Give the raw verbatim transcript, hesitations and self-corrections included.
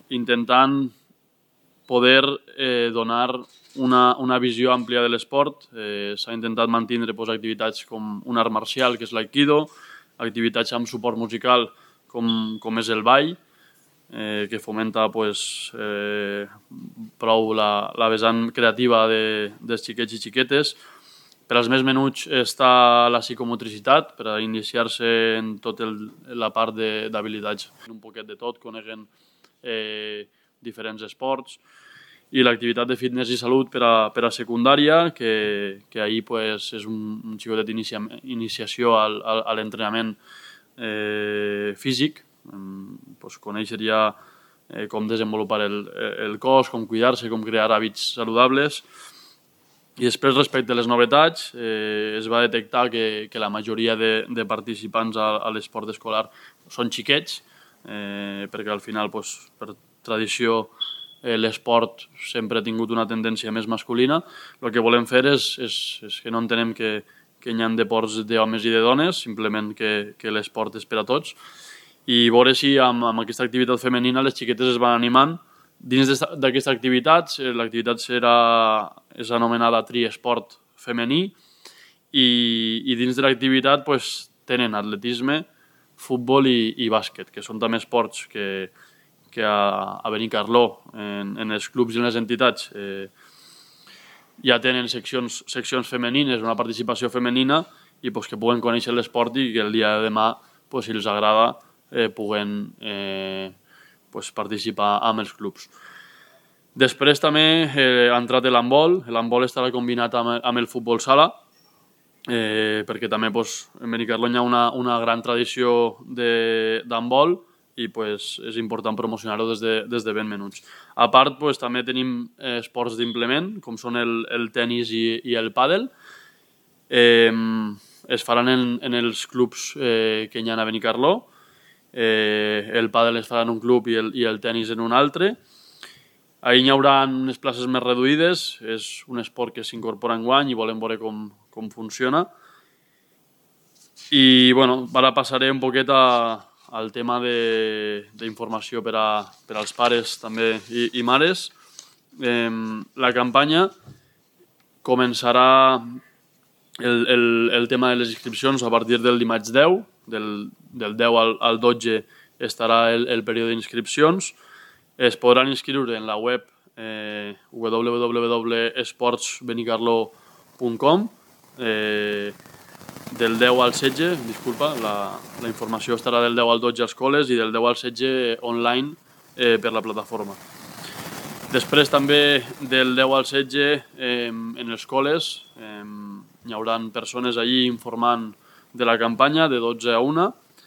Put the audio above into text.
intentant poder eh, donar una, una visió àmplia de l'esport. Eh, S'ha intentat mantenir pues, activitats com un art marcial, que és l'aikido, activitats amb suport musical, com, com és el ball, eh, que fomenta pues, eh, prou la, la vessant creativa de, dels xiquets i xiquetes. Per als més menuts està la psicomotricitat, per a iniciar-se en tota la part d'habilitats. Un poquet de tot, coneguen eh, diferents esports, i l'activitat de fitness i salut per a, per a secundària, que, que ahir pues, és un, un xicotet d'inicia, iniciació al, al, a l'entrenament eh, físic, pues, conèixer ja eh, com desenvolupar el, el cos, com cuidar-se, com crear hàbits saludables. I després, respecte a les novetats, eh, es va detectar que, que la majoria de, de participants a, a l'esport escolar són xiquets, eh, perquè al final, pues, per tradició, eh, l'esport sempre ha tingut una tendència més masculina. El que volem fer és, és, és que no entenem que, que hi ha deports d'homes i de dones, simplement que, que l'esport és per a tots, i veure si amb, amb aquesta activitat femenina les xiquetes es van animant. Dins d'aquesta activitat, l'activitat serà, és anomenada triesport femení, i, i dins de l'activitat pues, tenen atletisme, futbol i, i bàsquet, que són també esports que, que a, a Benicarló, en, en els clubs i en les entitats, eh, ja tenen seccions, seccions femenines, una participació femenina, i pues, que puguen conèixer l'esport i que el dia de demà, pues, si els agrada, eh, puguen eh, pues, participar amb els clubs. Després també eh, ha entrat l'handbol. L'handbol estarà combinat amb, amb el futbol sala, eh, perquè també pues, en Benicarló hi ha una, una gran tradició d'handbol i pues, és important promocionar-ho des, de, des de ben menuts. A part, pues, també tenim eh, esports d'implement, com són el, el tenis i, i el pàdel. Eh, es faran en, en els clubs eh, que hi ha a Benicarló. Eh, el pàdel es farà en un club i el, i el tenis en un altre. Ahir hi haurà unes places més reduïdes, és un esport que s'incorpora enguany i volem veure com, com funciona. I bueno, ara passaré un poquet a, al tema d'informació per, a, per als pares també i, i mares. Eh, la campanya començarà el, el, el tema de les inscripcions a partir del dimarts deu, del, del deu al, al dotze estarà el, el període d'inscripcions. Es podran inscriure en la web eh, w w w punt esports benicarló punt com. Eh, del deu al setze, disculpa, la, la informació estarà del deu al dotze a escoles i del deu al setze online eh, per la plataforma. Després també del deu al setze eh, en les escoles eh, hi haurà persones allí informant de la campanya de dotze a una.